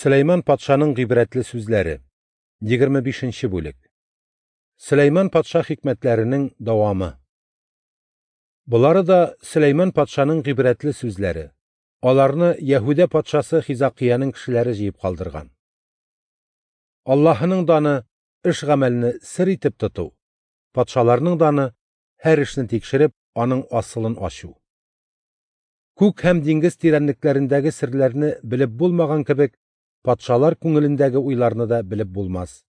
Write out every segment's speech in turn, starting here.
Сөләйман патшаның гыйбрәтле сүзләре. 25 нче бүлек. Сөләйман патша хикмәтләренең дәвамы. Болары да Сөләйман патшаның гыйбрәтле сүзләре. Аларны Яһүдә патшасы Хизакыяның кешеләре җыеп калдырган. Аллаһының даны эш-гамәлне сер итеп тоту, патшаларның даны һәр эшне тикшереп, аның асылын ачу. Күк һәм диңгез тирәнлекләрендәге серләрне белеп булмаган кебек, патшалар күңелендәге уйларны да белеп булмас.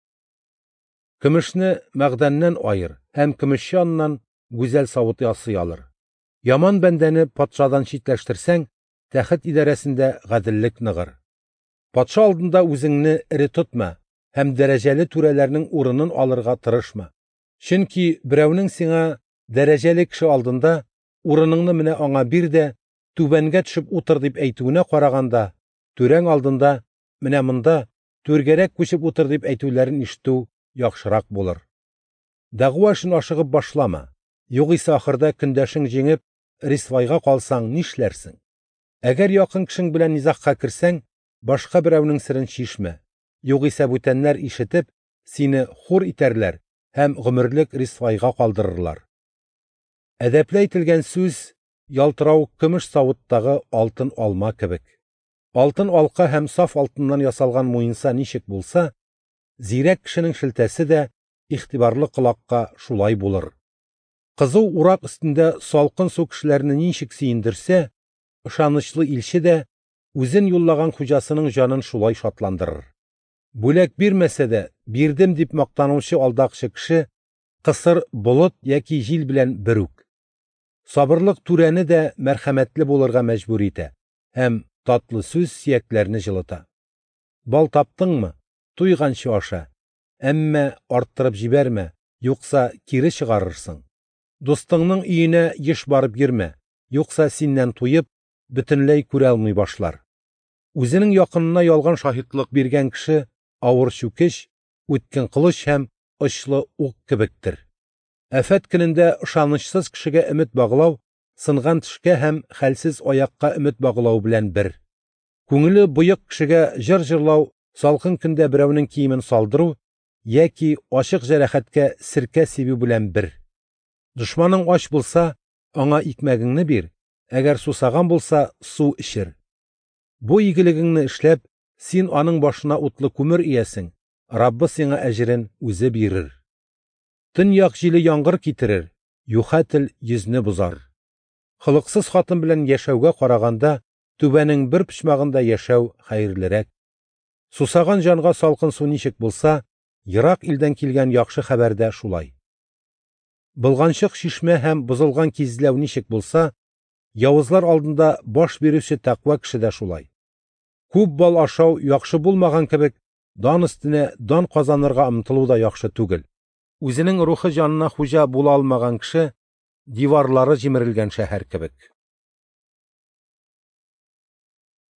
Көмешне мәгъдәннән аер һәм көмешче аннан гүзәл савыт ясый алыр. Яман бәндәне патшадан читләштерсәң, тәхет идарәсендә гаделлек ныгыр. Патша алдында үзеңне эре тотма һәм дәрәҗәле түрәләрнең урынын алырга тырышма. Чөнки берәүнең сиңа дәрәҗәле кеше алдында урыныңны менә аңа бир дә, түбәнгә төшеп утыр дип әйтүенә караганда, түрәң алдында менә монда түргәрәк күчеп утыр дип әйтүләрен ишетү яхшырак булыр. Дәгъва эшен ашыгып башлама, югыйсә ахырда көндәшең җиңеп, рисвайга калсаң нишләрсең? Әгәр якын кешең белән низагка керсәң, башка берәүнең серен чишмә, югыйсә бүтәннәр ишетеп, сине хур итәрләр һәм гомерлек рисвайга калдырырлар. Әдәпле әйтелгән сүз ялтырау көмеш савыттагы алтын алма кебек. Алтын алка һәм саф алтыннан ясалган муенса ничек булса, зирәк кешенең шелтәсе дә игътибарлы колакка шулай булыр. Кызу урак өстендә салкын су кешеләрне ничек сөендерсә, ышанычлы илче дә үзен юллаган хуҗасының җанын шулай шатландырыр. Бүләк бирмәсә дә, бирдем дип мактанучы алдакчы кеше кысыр болыт яки җил белән бер үк. Сабырлык түрәне дә мәрхәмәтле булырга мәҗбүр итә һәм татлы сүз сөякләрне җылыта. Бал таптыңмы? Туйганчы аша. Әмма арттырып җибәрмә, юкса кире чыгарырсың. Дустыңның өенә еш барып йөрмә, юкса синнән туеп, бөтенләй күрә алмый башлар. Үзенең якынына ялган шаһитлык биргән кеше авыр чүкеч, үткен кылыч һәм очлы ук кебектер. Афәт көнендә ышанычсыз кешегә өмет баглау сынган тешкә һәм хәлсез аякка өмет баглау белән бер. Күңеле боек кешегә җыр җырлау, салкын көндә берәүнең киемен салдыру яки ачык җәрәхәткә сиркә сибү белән бер. Дошманың ач булса, аңа икмәгеңне бир, әгәр сусаган булса, су эчер. Бу игелегеңне эшләп, син аның башына утлы күмер иясең, Раббы сиңа әҗерен үзе бирер. Төньяк җиле яңгыр китерер, юха тел йөзне бозар. Холыксыз хатын белән яшәүгә караганда, түбәнең бер почмагында яшәү хәерлерәк. Сусаган җанга салкын су ничек булса, ерак илдән килгән яхшы хәбәр дә шулай. Болганчык чишмә һәм бозылган кизләү ничек булса, явызлар алдында баш бирүче тәкъва кеше дә шулай. Күп бал ашау яхшы булмаган кебек, дан өстенә дан казанырга омтылу да яхшы түгел. Үзенең рухы җанына хуҗа була алмаган кеше диварлары җимерелгән шәһәр кебек.